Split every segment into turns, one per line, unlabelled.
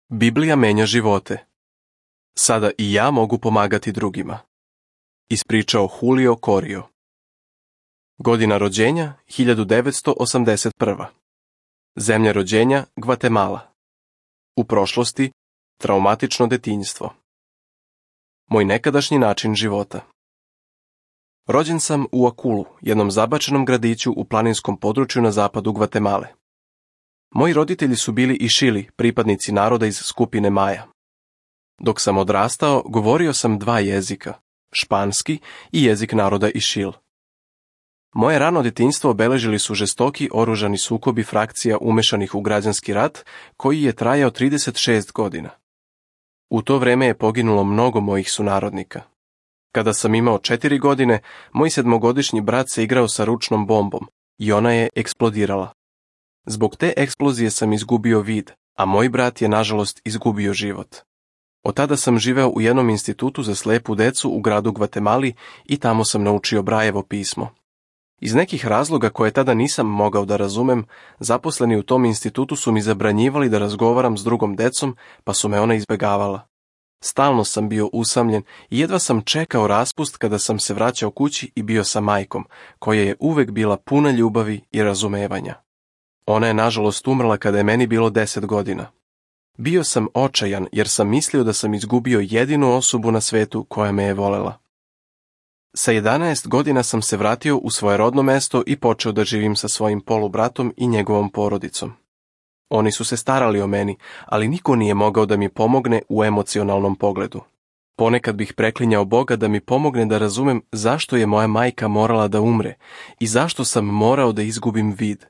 Biblija menja živote. Sada i ja mogu pomagati drugima. Ispričao Julio Corio. Godina rođenja 1981. Zemlja rođenja Gvatemala. U prošlosti traumatično detinjstvo. Moj nekadašnji način života. Rođen sam u Akulu, jednom zabačenom gradiću u planinskom području na zapadu Gvatemale. Moji roditelji su bili Išili, pripadnici naroda iz skupine Maja. Dok sam odrastao, govorio sam 2 jezika, španski i jezik naroda Išil. Moje rano djetinjstvo obeležili su žestoki oružani sukobi frakcija umešanih u građanski rat, koji je trajao 36 godina. U to vrijeme je poginulo mnogo mojih sunarodnika. Kada sam imao 4 godine, moj 7-godišnji brat se igrao sa ručnom bombom i ona je eksplodirala. Zbog te eksplozije sam izgubio vid, a moj brat je nažalost izgubio život. Od tada sam živeo u jednom institutu za slepu decu u gradu Gvatemali i tamo sam naučio Brajevo pismo. Iz nekih razloga koje tada nisam mogao da razumem, zaposleni u tom institutu su mi zabranjivali da razgovaram s drugom decom, pa su me ona izbegavala. Stalno sam bio usamljen i jedva sam čekao raspust kada sam se vraćao kući i bio sa majkom, koja je uvek bila puna ljubavi i razumevanja. Ona je nažalost umrla kada je meni bilo 10 godina. Bio sam očajan jer sam mislio da sam izgubio jedinu osobu na svetu koja me je volela. Sa 11 godina sam se vratio u svoje rodno mesto i počeo da živim sa svojim polubratom i njegovom porodicom. Oni su se starali o meni, ali niko nije mogao da mi pomogne u emocionalnom pogledu. Ponekad bih preklinjao Boga da mi pomogne da razumem zašto je moja majka morala da umre i zašto sam morao da izgubim vid.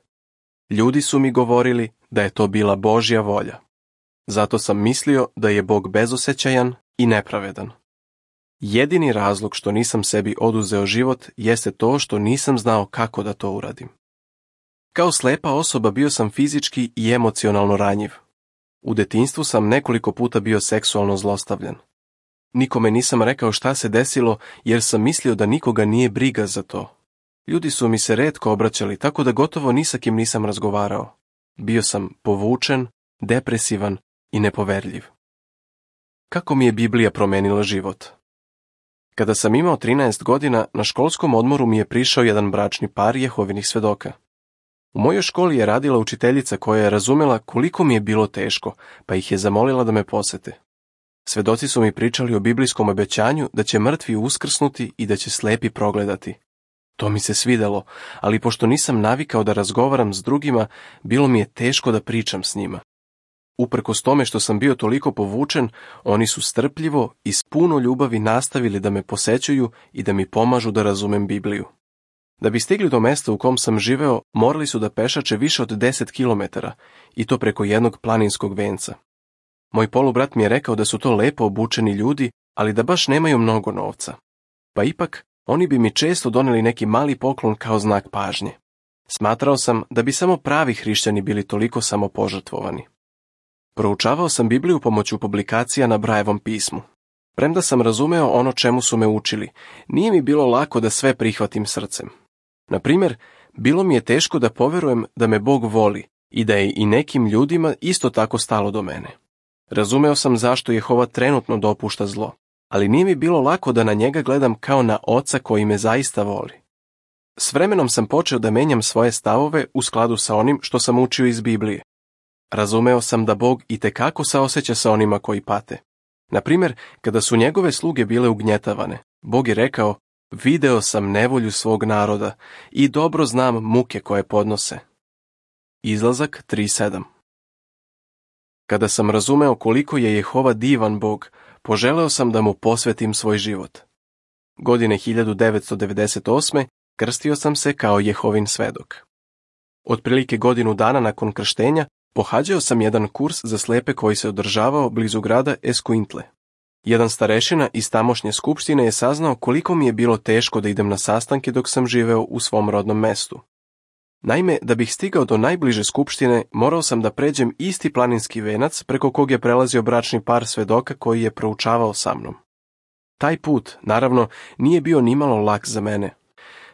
Ljudi su mi govorili da je to bila Božja volja. Zato sam mislio da je Bog bezosećajan i nepravedan. Jedini razlog što nisam sebi oduzeo život jeste to što nisam znao kako da to uradim. Kao slepa osoba bio sam fizički i emocionalno ranjiv. U detinjstvu sam nekoliko puta bio seksualno zlostavljan. Nikome nisam rekao šta se desilo jer sam mislio da nikoga nije briga za to. Ljudi su mi se retko obraćali, tako da gotovo ni sa kim nisam razgovarao. Bio sam povučen, depresivan i nepoverljiv. Kako mi je Biblija promenila život? Kada sam imao 13 godina, na školskom odmoru mi je prišao jedan bračni par Jehovinih svedoka. U mojoj školi je radila učiteljica koja je razumela koliko mi je bilo teško, pa ih je zamolila da me posete. Svedoci su mi pričali o biblijskom obećanju da će mrtvi uskrsnuti i da će slepi progledati. To mi se svidelo, ali pošto nisam navikao da razgovaram s drugima, bilo mi je teško da pričam s njima. Uprkos tome što sam bio toliko povučen, oni su strpljivo i s puno ljubavi nastavili da me posećuju i da mi pomažu da razumem Bibliju. Da bi stigli do mesta u kom sam živeo, morali su da pešače više od 10 kilometara i to preko jednog planinskog venca. Moj polubrat mi je rekao da su to lepo obučeni ljudi, ali da baš nemaju mnogo novca. Pa ipak, oni bi mi često doneli neki mali poklon kao znak pažnje. Smatrao sam da bi samo pravi hrišćani bili toliko samopožrtvovani. Proučavao sam Bibliju pomoću publikacija na Brajevom pismu. Premda sam razumeo ono čemu su me učili, nije mi bilo lako da sve prihvatim srcem. Na primjer, bilo mi je teško da poverujem da me Bog voli i da je i nekim ljudima isto tako stalo do mene. Razumeo sam zašto Jehova trenutno dopušta zlo, ali nije mi bilo lako da na njega gledam kao na oca koji me zaista voli. S vremenom sam počeo da menjam svoje stavove u skladu sa onim što sam učio iz Biblije. Razumeo sam da Bog itekako saoseća sa onima koji pate. Na primjer, kada su njegove sluge bile ugnjetavane, Bog je rekao: video sam nevolju svog naroda i dobro znam muke koje podnose. Izlazak 3:7. Kada sam razumeo koliko je Jehova divan Bog, poželeo sam da mu posvetim svoj život. Godine 1998. krstio sam se kao Jehovin svedok. Otprilike godinu dana nakon krštenja pohađao sam jedan kurs za slepe koji se održavao blizu grada Escuintle. Jedan starešina iz tamošnje skupštine je saznao koliko mi je bilo teško da idem na sastanke dok sam živeo u svom rodnom mestu. Naime, da bih stigao do najbliže skupštine, morao sam da pređem isti planinski venac preko kog je prelazio bračni par svedoka koji je proučavao sa mnom. Taj put, naravno, nije bio nimalo lak za mene.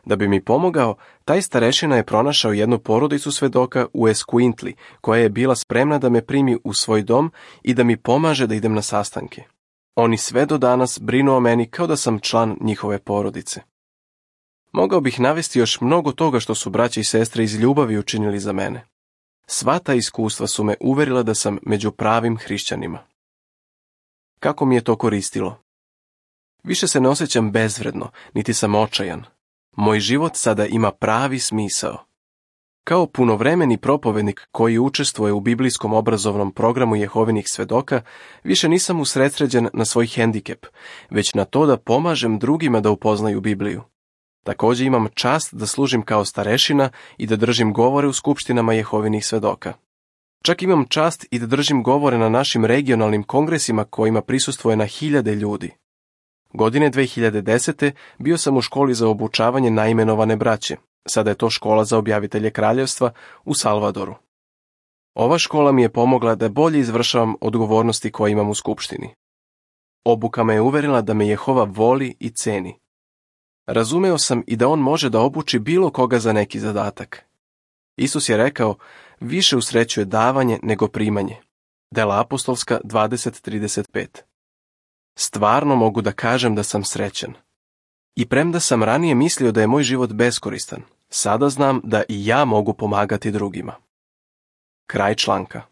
Da bi mi pomogao, taj starešina je pronašao jednu porodicu svedoka u Esquintli, koja je bila spremna da me primi u svoj dom i da mi pomaže da idem na sastanke. Oni sve do danas brinu o meni kao da sam član njihove porodice. Mogao bih navesti još mnogo toga što su braće i sestre iz ljubavi učinili za mene. Sva ta iskustva su me uverila da sam među pravim hrišćanima. Kako mi je to koristilo? Više se ne osjećam bezvredno, niti sam očajan. Moj život sada ima pravi smisao. Kao punovremeni propovednik koji učestvuje u biblijskom obrazovnom programu Jehovinih svedoka, više nisam usredsređen na svoj hendikep, već na to da pomažem drugima da upoznaju Bibliju. Također imam čast da služim kao starešina i da držim govore u skupštinama Jehovinih svedoka. Čak imam čast i da držim govore na našim regionalnim kongresima kojima prisustvuje na hiljade ljudi. Godine 2010. bio sam u školi za obučavanje naimenovane braće. Sada je to škola za objavitelje kraljevstva u Salvadoru. Ova škola mi je pomogla da bolje izvršavam odgovornosti koje imam u skupštini. Obuka me je uverila da me Jehova voli i ceni. Razumeo sam i da on može da obuči bilo koga za neki zadatak. Isus je rekao, više usrećuje davanje nego primanje. Dela apostolska 20:35. Stvarno mogu da kažem da sam srećan. I premda sam ranije mislio da je moj život beskoristan, sada znam da i ja mogu pomagati drugima. Kraj članka.